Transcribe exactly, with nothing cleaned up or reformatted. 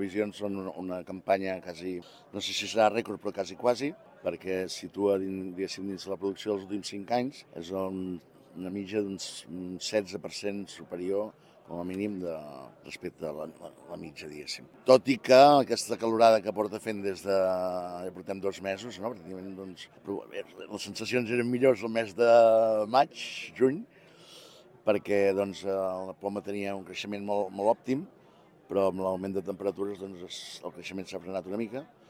previsions són una, una campanya quasi, no sé si serà rècord, però quasi quasi, perquè es situa dins, dins de la producció dels últims cinc anys, és un, una mitja d'un setze per cent superior com a mínim de, respecte a la, la, la mitja, diguéssim. Tot i que aquesta calorada que porta fent des de... ja portem dos mesos, no? Pràcticament, doncs, les sensacions eren millors el mes de maig, juny, perquè doncs, la poma tenia un creixement molt, molt òptim, però amb l'augment de temperatures doncs, el creixement s'ha frenat una mica.